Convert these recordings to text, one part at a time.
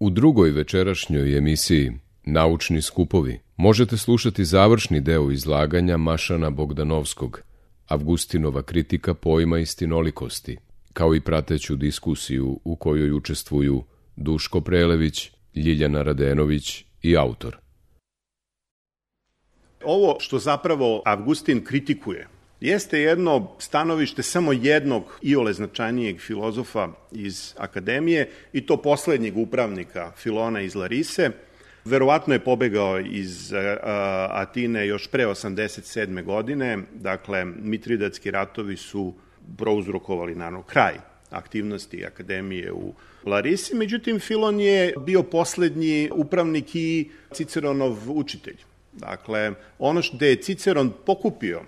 U drugoj večerašnjoj emisiji Naučni skupovi možete slušati završni deo izlaganja Mašana Bogdanovskog, Avgustinova kritika pojma istinolikosti, kao i prateću diskusiju u kojoj učestvuju Duško Prelević, Ljiljana Radenović i autor. Ovo što zapravo Avgustin kritikuje jeste jedno stanovište samo jednog iole značajnijeg filozofa iz akademije, i to poslednjeg upravnika Filona iz Larise. Verovatno je pobegao iz Atine još pre 87. godine, dakle Mitridatski ratovi su prouzrokovali naravno kraj aktivnosti akademije u Larisi, međutim Filon je bio poslednji upravnik i Ciceronov učitelj. Dakle, ono što je Ciceron pokupio,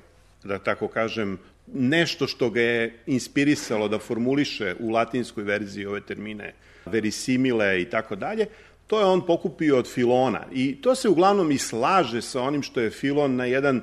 da tako kažem, nešto što ga je inspirisalo da formuliše u latinskoj verziji ove termine verisimile i tako dalje, to je on pokupio od Filona. I to se uglavnom i slaže sa onim što je Filon na jedan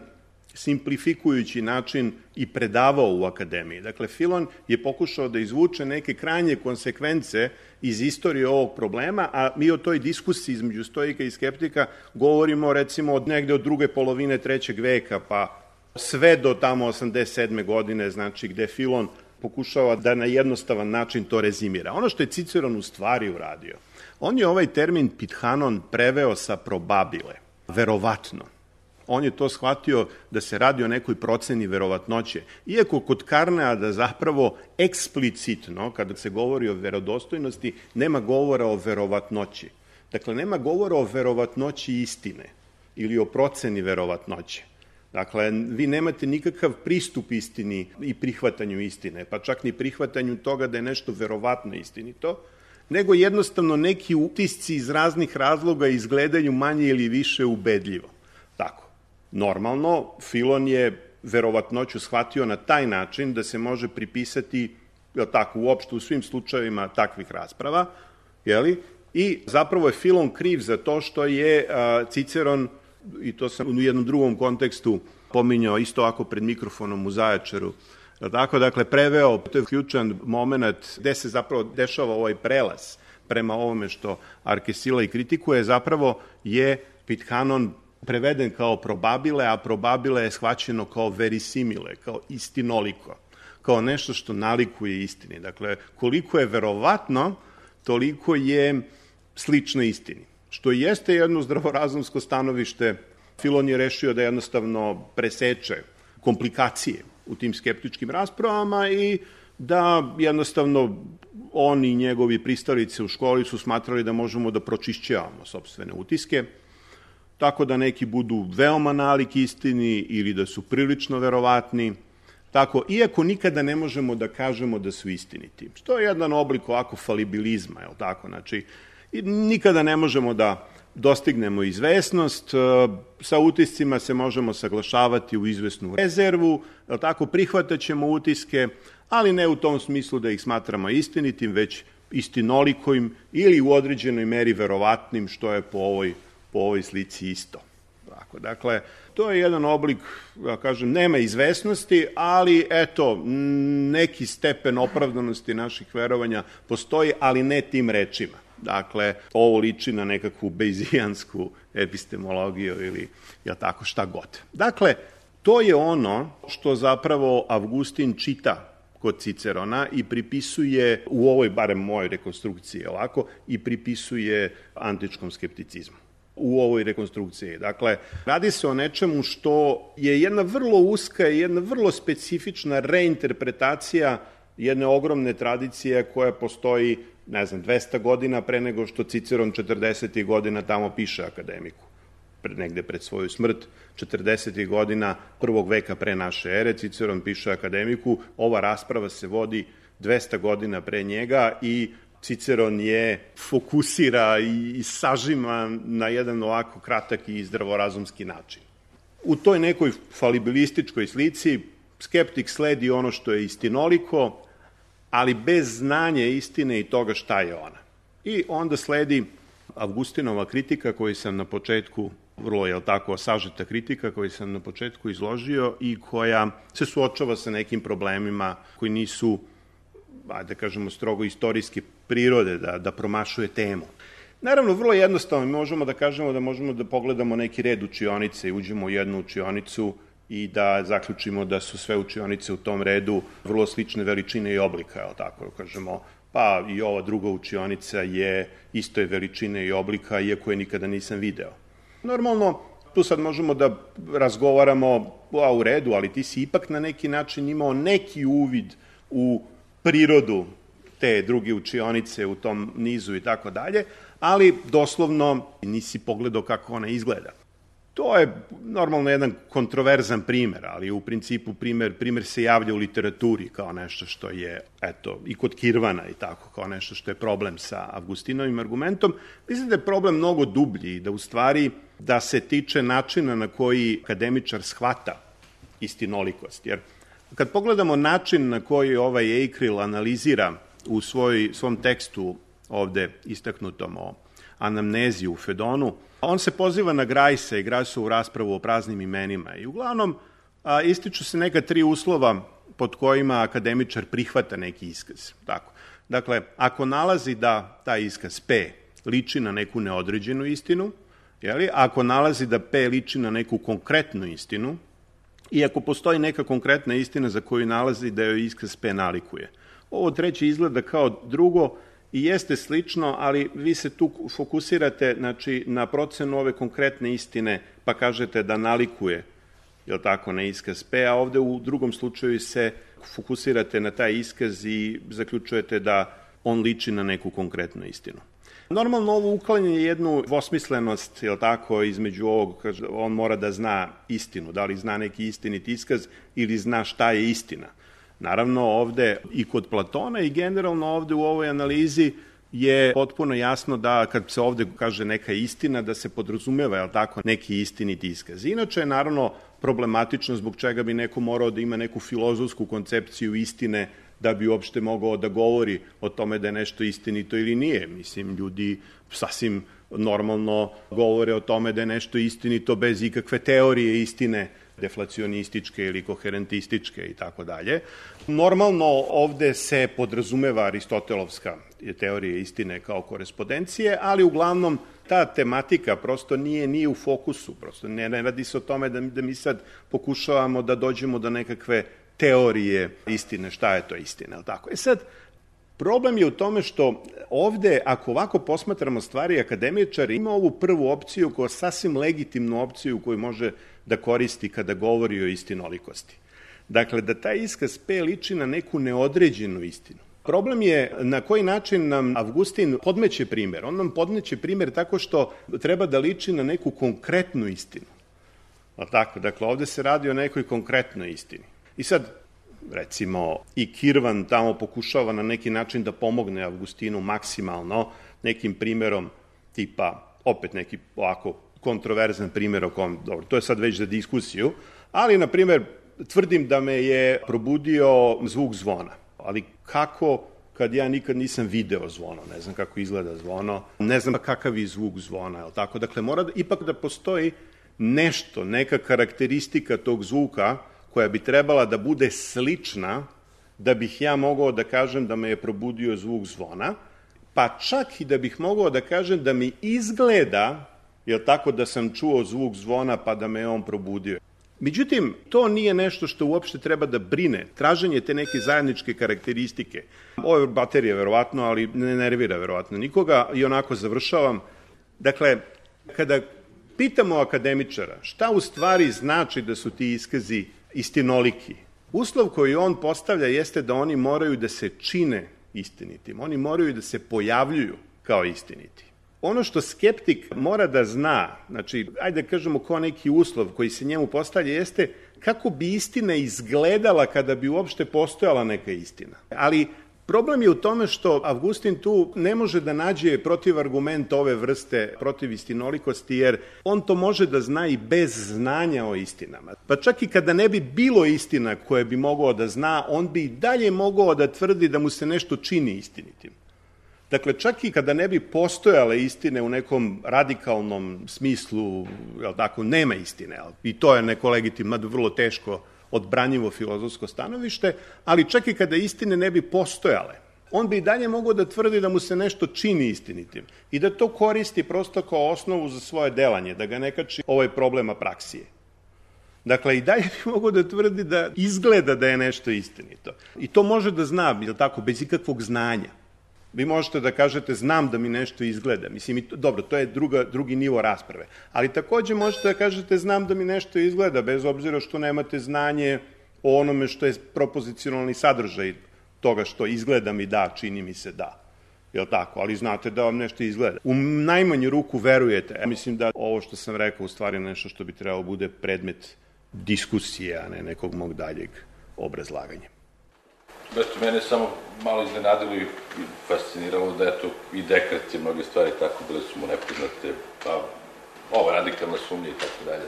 simplifikujući način i predavao u akademiji. Dakle, Filon je pokušao da izvuče neke krajnje konsekvence iz istorije ovog problema, a mi o toj diskusiji između stoika i skeptika govorimo recimo od negde od druge polovine 3. veka, pa sve do tamo 87. godine, znači gde Filon pokušava da na jednostavan način to rezimira. Ono što je Ciceron u stvari uradio, on je ovaj termin pithanon preveo sa probabile, verovatno. On je to shvatio da se radi o nekoj proceni verovatnoće. Iako kod Karneada zapravo eksplicitno, kada se govori o verodostojnosti, nema govora o verovatnoći. Dakle, nema govora o verovatnoći istine ili o proceni verovatnoće. Dakle, vi nemate nikakav pristup istini i prihvatanju istine, pa čak ni prihvatanju toga da je nešto verovatno istinito, nego jednostavno neki utisci iz raznih razloga izgledaju manje ili više ubedljivo. Tako. Normalno, Filon je verovatnoću shvatio na taj način da se može pripisati, tako, uopšte u svim slučajevima takvih rasprava, jeli? I zapravo je Filon kriv za to što je Ciceron, i to sam u jednom drugom kontekstu pominjao isto ako pred mikrofonom u Zaječaru, tako, dakle, preveo, to je ključan moment gde se zapravo dešava ovaj prelaz prema ovome što Arkesila i kritikuje, zapravo je pithanon preveden kao probabile, a probabile je shvaćeno kao verisimile, kao istinoliko, kao nešto što nalikuje istini. Dakle, koliko je verovatno, toliko je slično istini. Što jeste jedno zdravorazumsko stanovište, Filon je rešio da jednostavno preseče komplikacije u tim skeptičkim raspravama i da jednostavno on i njegovi pristalice u školi su smatrali da možemo da pročišćavamo sopstvene utiske, tako da neki budu veoma nalik istini ili da su prilično verovatni, tako, iako nikada ne možemo da kažemo da su istiniti. Što je jedan oblik ovako falibilizma, je li tako? Znači, nikada ne možemo da dostignemo izvesnost, sa utiscima se možemo saglašavati u izvesnu rezervu, je li tako? Prihvataćemo utiske, ali ne u tom smislu da ih smatramo istinitim, već istinolikovim ili u određenoj meri verovatnim, što je po ovoj slici isto. Dakle, to je jedan oblik, ja kažem, nema izvesnosti, ali eto, neki stepen opravdanosti naših verovanja postoji, ali ne tim rečima. Dakle, ovo liči na nekakvu bejzijansku epistemologiju ili, ja tako, šta god. Dakle, to je ono što zapravo Avgustin čita kod Cicerona i pripisuje, u ovoj, barem mojoj rekonstrukciji, ovako, i pripisuje antičkom skepticizmu u ovoj rekonstrukciji. Dakle, radi se o nečemu što je jedna vrlo uska i jedna vrlo specifična reinterpretacija jedne ogromne tradicije koja postoji, 200 godina pre nego što Ciceron 40. godina tamo piše akademiku. Negde pred svoju smrt, 40. godina 1. veka pre naše ere, Ciceron piše akademiku, ova rasprava se vodi 200 godina pre njega i Ciceron je fokusira i sažima na jedan ovako kratak i zdravorazumski način. U toj nekoj falibilističkoj slici skeptik sledi ono što je istinoliko, ali bez znanja istine i toga šta je ona. I onda sledi Avgustinova kritika koju sam na početku, vrlo je tako sažeta kritika koju sam na početku izložio i koja se suočava sa nekim problemima koji nisu, da kažemo, strogo istorijske prirode, da promašuje temu. Naravno, vrlo jednostavno, mi možemo da kažemo da možemo da pogledamo neki red učionice i uđemo u jednu učionicu i da zaključimo da su sve učionice u tom redu vrlo slične veličine i oblika, je li tako? Kažemo, pa i ova druga učionica je istoje veličine i oblika, iako je nikada nisam video. Normalno, tu sad možemo da razgovaramo, u redu, ali ti si ipak na neki način imao neki uvid u prirodu te druge učionice u tom nizu i tako dalje, ali doslovno nisi pogledao kako ona izgleda. To je normalno jedan kontroverzan primer, ali u principu primer se javlja u literaturi kao nešto što je, i kod Kirvana i tako, kao nešto što je problem sa Avgustinovim argumentom. Mislim da je problem mnogo dublji i da u stvari da se tiče načina na koji akademičar shvata istinolikost. Jer kad pogledamo način na koji ovaj Eichel analizira u svom tekstu ovde istaknutom o anamneziji u Fedonu, on se poziva na Grajsa i Grajsovu raspravu o praznim imenima i uglavnom ističu se neka 3 uslova pod kojima akademičar prihvata neki iskaz. Tako. Dakle, ako nalazi da taj iskaz P liči na neku neodređenu istinu, ako nalazi da P liči na neku konkretnu istinu i ako postoji neka konkretna istina za koju nalazi da joj iskaz P nalikuje. Ovo treće izgleda kao drugo i jeste slično, ali vi se tu fokusirate na procenu ove konkretne istine, pa kažete da nalikuje, na iskaz P, a ovde u drugom slučaju se fokusirate na taj iskaz i zaključujete da on liči na neku konkretnu istinu. Normalno ovo uklanja jednu dvosmislenost, između ovog, on mora da zna istinu, da li zna neki istinit iskaz ili zna šta je istina. Naravno, ovde i kod Platona i generalno ovde u ovoj analizi je potpuno jasno da kad se ovde kaže neka istina, da se podrazumeva, neki istinit iskaz. Inače je naravno problematično zbog čega bi neko morao da ima neku filozofsku koncepciju istine da bi uopšte mogao da govori o tome da je nešto istinito ili nije. Mislim, ljudi sasvim normalno govore o tome da je nešto istinito bez ikakve teorije istine, deflacionističke ili koherentističke i tako dalje. Normalno ovde se podrazumeva aristotelovska teorija istine kao korespondencije, ali uglavnom ta tematika prosto nije u fokusu, prosto ne radi se o tome da mi sad pokušavamo da dođemo do nekakve teorije istine, šta je to istina, ali tako. Sad, problem je u tome što ovde, ako ovako posmatramo stvari, akademičar ima ovu prvu opciju kao sasvim legitimnu opciju koju može da koristi kada govori o istinolikosti. Dakle, da taj iskaz P liči na neku neodređenu istinu. Problem je na koji način nam Avgustin podmeće primer. On nam podmeće primer tako što treba da liči na neku konkretnu istinu. Dakle, ovde se radi o nekoj konkretnoj istini. I sad, recimo, i Kirvan tamo pokušava na neki način da pomogne Avgustinu maksimalno nekim primerom tipa, opet neki ovako kontroverzan primer o kom, dobro, to je sad već za diskusiju, ali, na primer, tvrdim da me je probudio zvuk zvona. Ali kako kad ja nikad nisam video zvono, ne znam kako izgleda zvono, ne znam kakav je zvuk zvona, je li tako? Dakle, mora ipak da postoji nešto, neka karakteristika tog zvuka koja bi trebala da bude slična da bih ja mogao da kažem da me je probudio zvuk zvona, pa čak i da bih mogao da kažem da mi izgleda, je li tako, da sam čuo zvuk zvona pa da me je on probudio. Međutim, to nije nešto što uopšte treba da brine. Traženje te neke zajedničke karakteristike. Ovo je baterija, verovatno, ali ne nervira verovatno nikoga i onako završavam. Dakle, kada pitamo akademičara šta u stvari znači da su ti iskazi istinoliki, uslov koji on postavlja jeste da oni moraju da se čine istinitim. Oni moraju da se pojavljuju kao istiniti. Ono što skeptik mora da zna, znači, ajde da kažemo kao neki uslov koji se njemu postavlja, jeste kako bi istina izgledala kada bi uopšte postojala neka istina. Ali problem je u tome što Avgustin tu ne može da nađe protivargument ove vrste protiv istinolikosti, jer on to može da zna i bez znanja o istinama. Pa čak i kada ne bi bilo istina koje bi mogao da zna, on bi i dalje mogao da tvrdi da mu se nešto čini istinitim. Dakle, čak i kada ne bi postojale istine u nekom radikalnom smislu, nema istine, i to je neko legitimno, vrlo teško odbranjivo filozofsko stanovište, ali čak i kada istine ne bi postojale, on bi i dalje mogao da tvrdi da mu se nešto čini istinitim i da to koristi prosto kao osnovu za svoje delanje, da ga ne kači ovaj problem apraksije. Dakle, i dalje bi mogao da tvrdi da izgleda da je nešto istinito. I to može da zna, je li tako, bez ikakvog znanja. Vi možete da kažete, znam da mi nešto izgleda. Mislim, dobro, to je drugi nivo rasprave. Ali takođe možete da kažete, znam da mi nešto izgleda, bez obzira što nemate znanje o onome što je propozicionalni sadržaj toga što izgleda mi da, čini mi se da. Je li tako? Ali znate da vam nešto izgleda. U najmanju ruku verujete. Mislim da ovo što sam rekao u stvari nešto što bi trebalo bude predmet diskusije, a ne nekog mog daljeg obrazlaganja. Mene samo malo iznenadilo i fasciniralo da eto i Dekart je mnoge stvari tako bile su mu nepoznate, pa ova radikalna sumnja i tako dalje.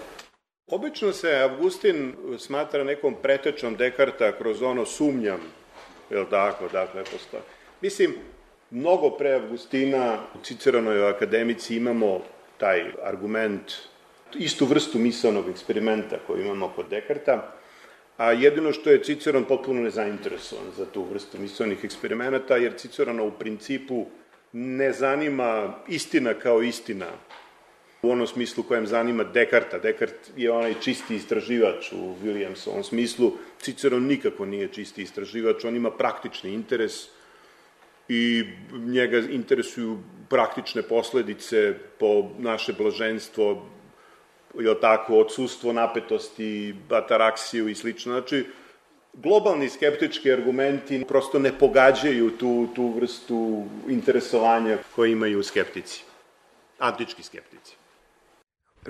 Obično se Avgustin smatra nekom pretečom Dekarta kroz ono sumnjam, je li tako, dakle, postoje. Mislim, mnogo pre Avgustina u Ciceronovoj akademici imamo taj argument, istu vrstu misaonog eksperimenta koju imamo kod Dekarta, a jedino što je Ciceron potpuno nezainteresovan za tu vrstu misaonih eksperimenata, jer Cicerona u principu ne zanima istina kao istina, u onom smislu kojem zanima Dekarta. Dekart je onaj čisti istraživač u Williamsovom smislu. Ciceron nikako nije čisti istraživač, on ima praktični interes i njega interesuju praktične posledice po naše blaženstvo, je tako, odsustvo napetosti, ataraksiju i slično. Znači, globalni skeptički argumenti prosto ne pogađaju tu vrstu interesovanja koje imaju skeptici, antički skeptici.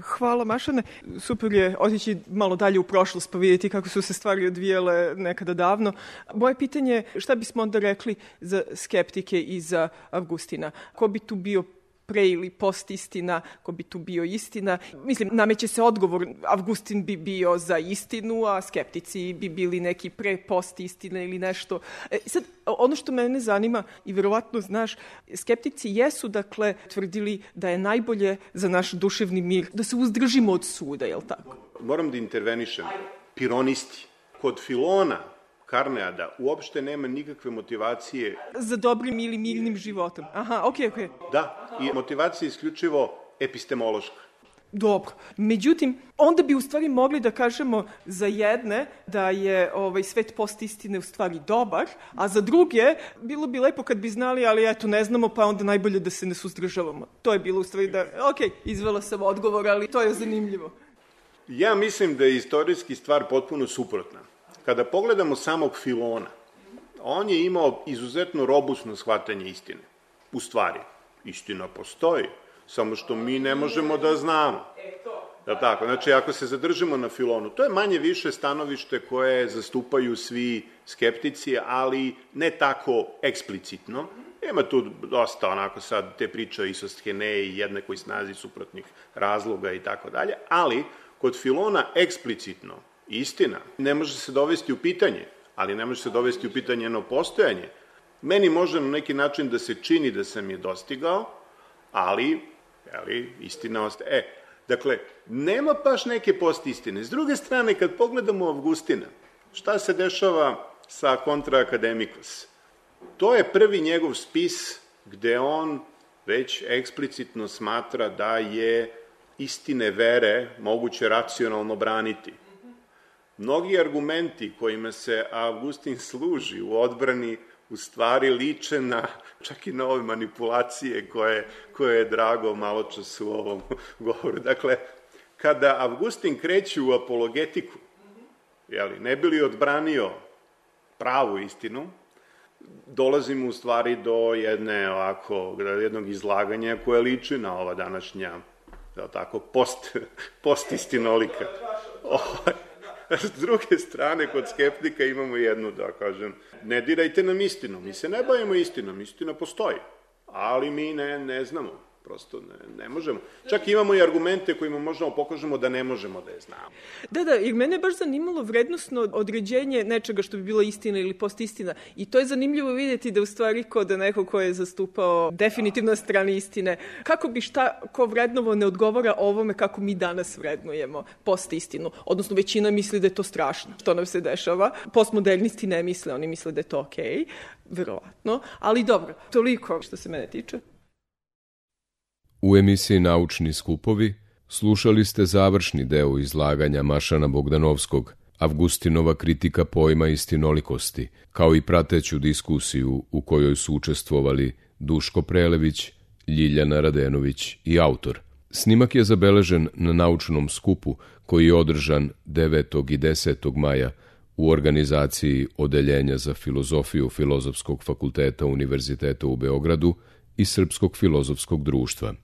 Hvala, Mašane. Super je otići malo dalje u prošlost pa vidjeti kako su se stvari odvijele nekada davno. Moje pitanje je šta bismo onda rekli za skeptike i za Avgustina? Ko bi tu bio pre ili post istina, ko bi tu bio istina? Mislim, nameće se odgovor, Avgustin bi bio za istinu, a skeptici bi bili neki pre post istina ili nešto. Sad, ono što mene zanima, i verovatno znaš, skeptici jesu, dakle, tvrdili da je najbolje za naš duševni mir, da se uzdržimo od suda, je li tako? Moram da intervenišem. Pironisti. Kod Filona, Karneada, uopšte nema nikakve motivacije za dobrim ili mirnim životom. Aha, okej. Da, i motivacija je isključivo epistemološka. Dobro. Međutim, onda bi u stvari mogli da kažemo za jedne da je svet postistine u stvari dobar, a za druge bilo bi lepo kad bi znali, ali eto ne znamo, pa onda najbolje da se ne suzdržavamo. To je bilo u stvari da, izvela sam odgovor, ali to je zanimljivo. Ja mislim da je istorijski stvar potpuno suprotna. Kada pogledamo samog Filona, on je imao izuzetno robustno shvatanje istine. U stvari, istina postoji, samo što mi ne možemo da znamo. Da tako? Znači, ako se zadržimo na Filonu, to je manje više stanovište koje zastupaju svi skeptici, ali ne tako eksplicitno. Ima tu dosta onako sad te priče o isostheneji, jednakoj snazi suprotnih razloga i tako dalje, ali kod Filona eksplicitno istina ne može se dovesti u pitanje, ali ne može se dovesti u pitanje jedno postojanje. Meni može na neki način da se čini da sam je dostigao, ali istina ostaje. Dakle, nema baš neke postistine. S druge strane, kad pogledamo Avgustina, šta se dešava sa Contra Academicus? To je prvi njegov spis gde on već eksplicitno smatra da je istine vere moguće racionalno braniti. Mnogi argumenti kojima se Avgustin služi u odbrani u stvari liče na, čak i na ove manipulacije koje je Drago maločas u ovom govoru. Dakle, kada Avgustin kreće u apologetiku, ne bi li odbranio pravu istinu, dolazimo u stvari do jednog izlaganja koje liči na ova današnja, postistinolika. S druge strane, kod skeptika imamo jednu, da kažem, ne dirajte nam istinu, mi se ne bavimo istinom, istina postoji, ali mi ne znamo. Prosto ne možemo. Čak imamo i argumente kojima možemo pokažemo da ne možemo da je znamo. Da, jer mene je baš zanimalo vrednosno određenje nečega što bi bila istina ili postistina. I to je zanimljivo vidjeti da u stvari kod neko ko je zastupao definitivno na strani istine, kako bi šta ko vrednovo ne odgovara ovome kako mi danas vrednujemo postistinu. Odnosno većina misli da je to strašno što nam se dešava. Postmodernisti ne misle, oni misle da je to okej, verovatno. Ali dobro, toliko što se mene tiče. U emisiji Naučni skupovi slušali ste završni deo izlaganja Mašana Bogdanovskog, Avgustinova kritika pojma istinolikosti, kao i prateću diskusiju u kojoj su učestvovali Duško Prelević, Ljiljana Radenović i autor. Snimak je zabeležen na naučnom skupu koji je održan 9. i 10. maja u organizaciji Odeljenja za filozofiju Filozofskog fakulteta Univerziteta u Beogradu i Srpskog filozofskog društva.